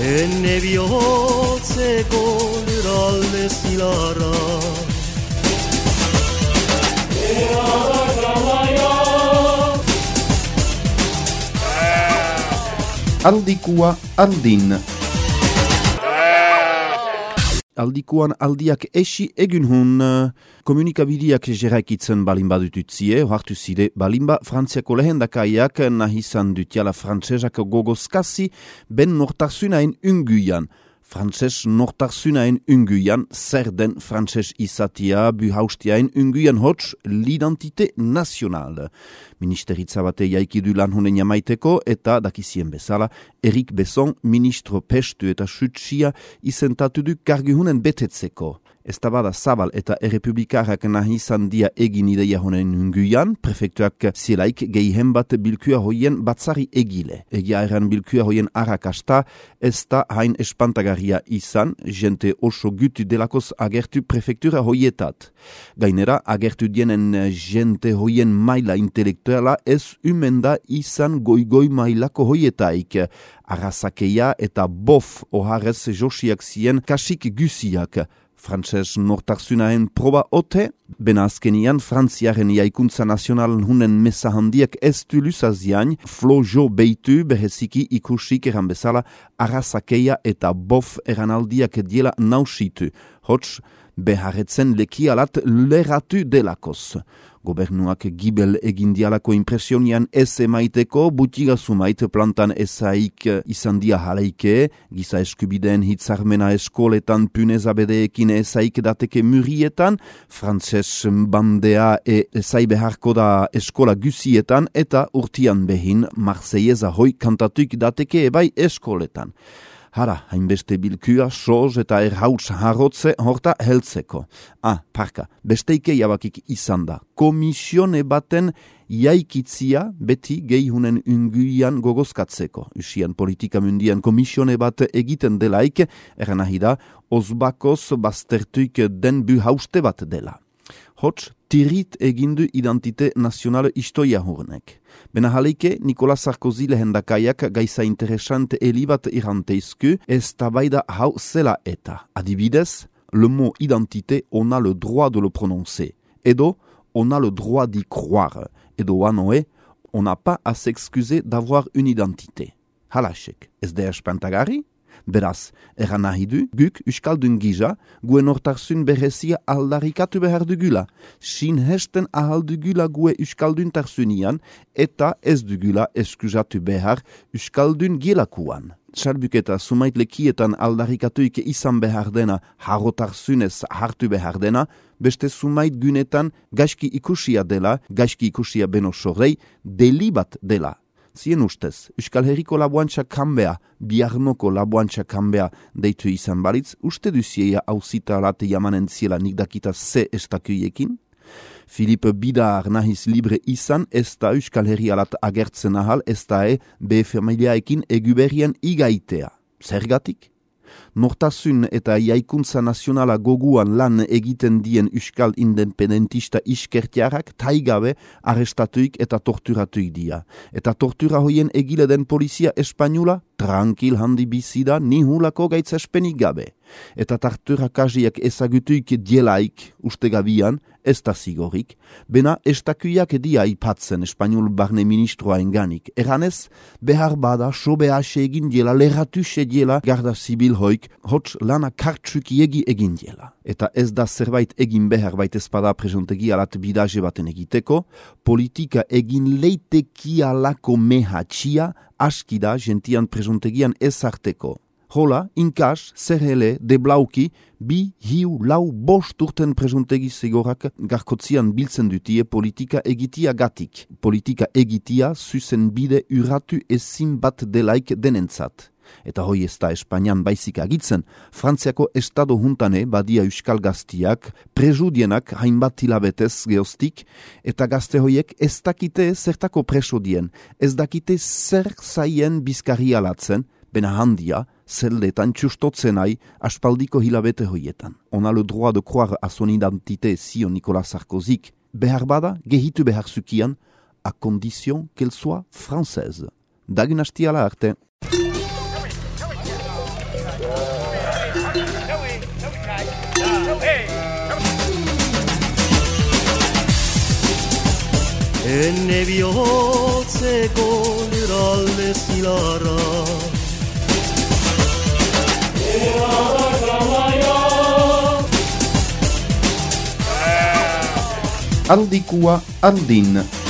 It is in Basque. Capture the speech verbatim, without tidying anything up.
Enne bihotzeko lurralde zilarra Aldikua aldin. Aldikuan aldiak esi egun hun komunikabideak jeraikitzen balin badututzie, hartu zide balinba Frantziako lehendakaiak nahizan dutiala frantsesak gogozkasi ben nortarzunaen unguian. Frantses nortarzunaen unguian, zer den frantses izatia buhaustiaen unguian hots l'identite nazional. Ministeritza bate jaikidu lan honen jamaiteko eta dakizien bezala, Erik Besson ministro pestu eta sutsia izentatu du karguhunen betetzeko. Ez da bada zabal eta errepublikarrak nahi izan dia egin ideia honen unguian, prefektuak zielaik geihen bat bilkua hoien batzari egile. Egia erran bilkua hoien arrakasta, ez da hain espantagarria izan, jente oso gutu delakoz agertu prefektura hoietat. Gainera, agertu dienen jente hoien maila intelektuala ez umenda izan goi-goi mailako hoietaik. Arrazakeia eta bof oharez josiak zien kasik gusiak. Frantses nortarzunaen proba ote, bena azkenian Frantziaren jaikuntza nazionalen hunen mesa handiak ez du luzazian, flojo beitu beheziki ikusik eran bezala arrazakeia eta bof eranaldiak diela nausitu, hots beharretzen lekialat leratu delakoz. Gobernuak gibel egindialako impresionian ez emaiteko, butiga sumait plantan ezaik izan dia jaleike, giza eskubideen hitzarmena eskoletan punezabedeekin ezaik dateke murietan, frantses bandea e ezai beharko da eskola gusietan eta urtian behin Marseillaisa hoi kantatuik dateke ebai eskoletan. Hara, hainbeste bilkua, soz eta erhauts harrotze horta heltzeko. Ah, parka, besteike jabakik izan da. Komisione baten jaikitzia beti geihunen unguian gogozkatzeko. Usian politika mundian komisione bat egiten delaik, eran nahi da, ozbakoz baztertuik den bu hauste bat dela. Hots, tirit egindu identite nazionale istoia hurnek. Bena jaleike, Nicolas Sarkozy lehendakaiak gaiza interesante elibat iranteizku, ez tabaida hau zela eta. Adibidez, le mot identité, on a le droit de le prononcer. Edo, on a le droit d'y croire. Edo anoe, on n'a pas à s'excuser d'avoir une identité. Halaxek, ez da espantagari? Beraz, eran nahi du, guk uskaldun gisa, gue nortarzun berezia aldarikatu behar dugula. Sin hesten ahal dugula gue uskaldun tarzunian, eta ez dugula eskuzatu behar uskaldun gilakuan. Sarbuketa sumait lekietan aldarikatuik izan behar dena, harrotarzunez hartu behar dena, beste sumait gunetan gaizki ikusia dela, gaizki ikusia beno sorrei, delibat dela. Zien ustez, Euskal Herriko labuantxa kanbea, biarnoko labuantxa kanbea deitu izan balitz, uste duzieia hauzita late jamanen ziela nik dakita ze estakuiekin? Philippe Bidar nahiz libre izan, ez da Euskal Herri alat agertzen ahal, ez da e be familiaekin eguberian igaitea. Zergatik? Nortasun eta jaikuntza nazionala goguan lan egiten dien Euskal independentista iskertiarak taigabe arrestatuik eta torturatuik dia. Eta tortura hoien egile den polizia espainula tranquil handi bizida nihulako gaitzespenik gabe. Eta torturakaziak ezagutuik dielaik ustegabian, ez da zigorik, bena estakuiak dia ipatzen espainol barne ministroa enganik. Eranez, behar bada sobease egin diela, lerratuse diela garda zibil hoik, hots lana kartsuk egi egin diela. Eta ez da zerbait egin behar bait ezpada presontegi alat bidaje baten egiteko, politika egin leiteki alako mehatxia askida gentian presontegian ezarteko. Hola, inkas, zerhele, deblauki, bi, hiu, lau, bost urten presuntegi zegorak garkotzian biltzen dutie politika egitia gatik. Politika egitia zuzen bide urratu ezin bat delaik denentzat. Eta hoi ez da Espainian baizik agitzen, Frantziako estado juntane badia euskal gaztiak, presudienak hainbat hilabetez geostik, eta gazte hoiek ez dakite zertako presudien, ez dakite zer zaien bizkarri alatzen, bena handia, zeldetan txustotzenai aspaldiko hilabete hoietan. On a le droit de croire à son identité, zio Nicolas Sarkozyk, behar bada, gehitu behar zukian, à condition qu'elle soit française. Dagun hastiala arte. Enne bihotzeko lurralde zilarra Aldikua aldin.